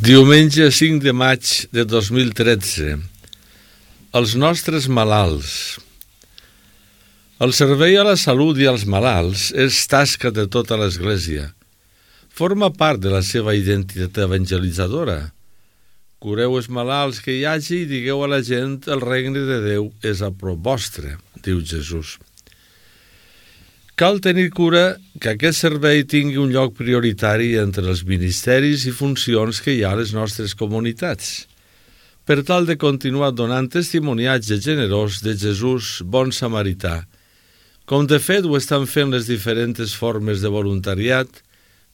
Diumenge 5 de maig de 2013. Els nostres malalts. El servei a la salut i als malalts és tasca de tota l'Església. Forma part de la seva identitat evangelitzadora. Cureu els malalts que hi hagi i digueu a la gent el regne de Déu és a prop vostre, diu Jesús. Cal tenir cura que aquest servei tingui un lloc prioritari entre els ministeris i funcions que hi ha a les nostres comunitats, per tal de continuar donant testimoniatge generós de Jesús bon samarità, com de fet ho estan fent les diferents formes de voluntariat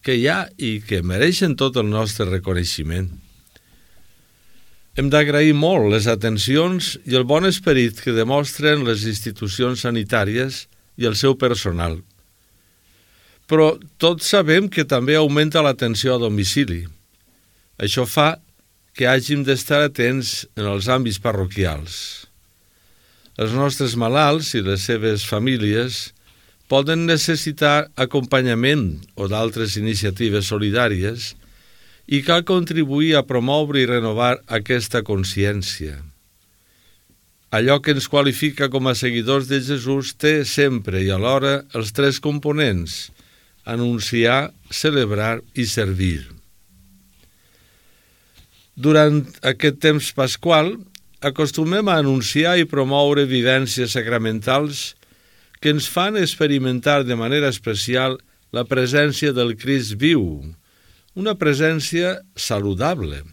que hi ha i que mereixen tot el nostre reconeixement. Hem d'agrair molt les atencions i el bon esperit que demostren les institucions sanitàries i el seu personal. Però tots sabem que també augmenta l'atenció a domicili. Això fa que hàgim d'estar atents en els àmbits parroquials. Els nostres malalts i les seves famílies poden necessitar acompanyament o d'altres iniciatives solidàries i cal contribuir a promoure i renovar aquesta consciència. Allò que ens qualifica com a seguidors de Jesús té sempre i alhora els tres components: anunciar, celebrar i servir. Durant aquest temps pasqual, acostumem a anunciar i promoure vivències sacramentals que ens fan experimentar de manera especial la presència del Crist viu, una presència saludable,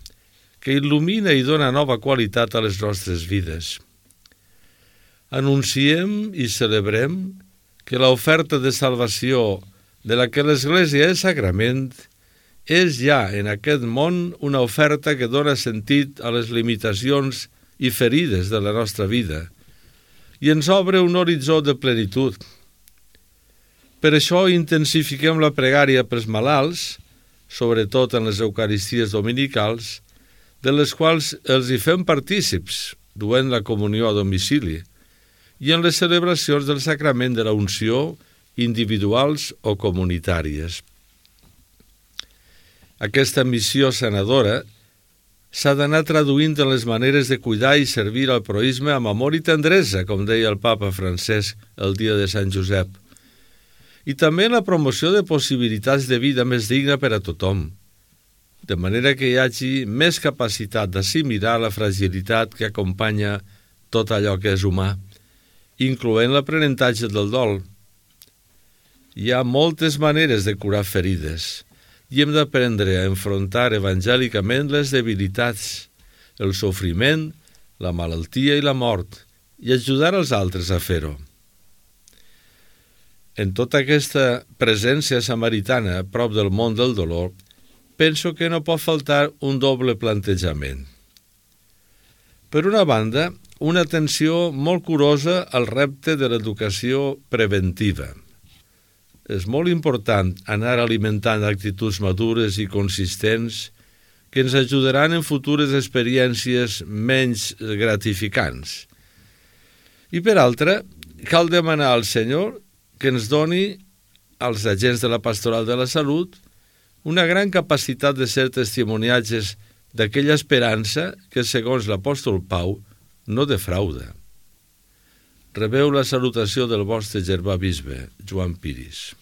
que il·lumina i dona nova qualitat a les nostres vides. Anunciem i celebrem que l'oferta de salvació de la que l'Església és sagrament és ja en aquest món una oferta que dona sentit a les limitacions i ferides de la nostra vida i ens obre un horitzó de plenitud. Per això intensifiquem la pregària pels malalts, sobretot en les Eucaristies dominicals, de les quals els hi fem partícips, duent la comunió a domicili, i en les celebracions del sacrament de la unció, individuals o comunitàries. Aquesta missió sanadora s'ha d'anar traduint en les maneres de cuidar i servir al proïsme amb amor i tendresa, com deia el papa Francesc el dia de Sant Josep, i també en la promoció de possibilitats de vida més digna per a tothom, de manera que hi hagi més capacitat d'assimilar la fragilitat que acompanya tot allò que és humà, incloent l'aprenentatge del dol. Hi ha moltes maneres de curar ferides i hem d'aprendre a enfrontar evangèlicament les debilitats, el sofriment, la malaltia i la mort i ajudar els altres a fer-ho. En tota aquesta presència samaritana a prop del món del dolor, penso que no pot faltar un doble plantejament. Per una banda, una atenció molt curosa al repte de l'educació preventiva. És molt important anar alimentant actituds madures i consistents que ens ajudaran en futures experiències menys gratificants. I per altra, cal demanar al Senyor que ens doni, als agents de la Pastoral de la Salut, una gran capacitat de ser testimoniatges d'aquella esperança que, segons l'apòstol Pau, no defrauda. Rebeu la salutació del vostre germà bisbe, Joan Piris.